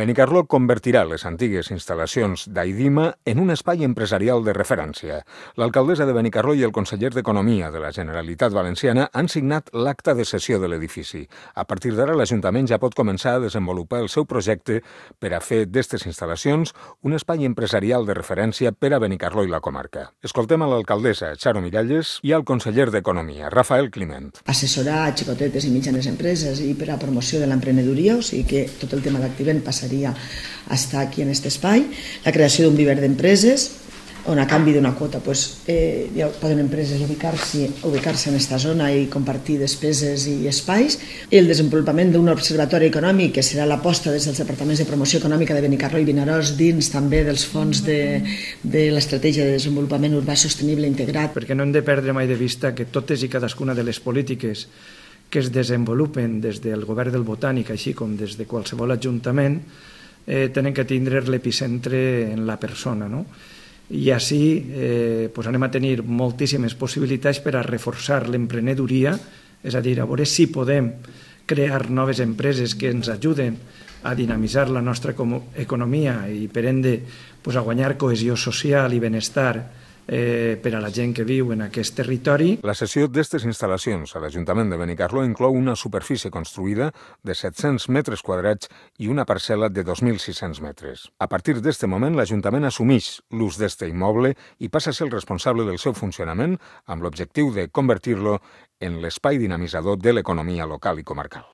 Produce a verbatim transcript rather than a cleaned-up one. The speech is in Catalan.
Benicarló convertirà les antigues instal·lacions d'Aidima en un espai empresarial de referència. L'alcaldessa de Benicarló i el conseller d'Economia de la Generalitat Valenciana han signat l'acta de cessió de l'edifici. A partir d'ara, l'Ajuntament ja pot començar a desenvolupar el seu projecte per a fer d'estes instal·lacions un espai empresarial de referència per a Benicarló i la comarca. Escoltem a l'alcaldessa, Charo Miralles, i al conseller d'Economia, Rafael Climent. Assessorar a xicotetes i mitjanes empreses i per a promoció de l'emprenedoria, o sigui que tot el tema d'activent passaria a estar aquí en aquest espai, la creació d'un viver d'empreses, on a canvi d'una quota pues, eh, ja poden empreses ubicar-se ubicar-se en aquesta zona i compartir despeses i espais, el desenvolupament d'un observatori econòmic que serà l'aposta des dels departaments de promoció econòmica de Benicarló i Vinaròs dins també dels fons de, de l'estratègia de desenvolupament urbà sostenible integrat. Perquè no hem de perdre mai de vista que totes i cadascuna de les polítiques que es desenvolupen des del govern del Botànic, així com des de qualsevol ajuntament, eh, tenen que tindre l'epicentre en la persona, no? I així eh, pues anem a tenir moltíssimes possibilitats per a reforçar l'emprenedoria, és a dir, a veure si podem crear noves empreses que ens ajuden a dinamitzar la nostra economia i per ende pues, a guanyar cohesió social i benestar Eh, per a la gent que viu en aquest territori. La cessió d'estes instal·lacions a l'Ajuntament de Benicarló inclou una superfície construïda de set-cents metres quadrats i una parcel·la de dos mil sis-cents metres. A partir d'este moment, l'Ajuntament assumeix l'ús d'este immoble i passa a ser el responsable del seu funcionament amb l'objectiu de convertir-lo en l'espai dinamitzador de l'economia local i comarcal.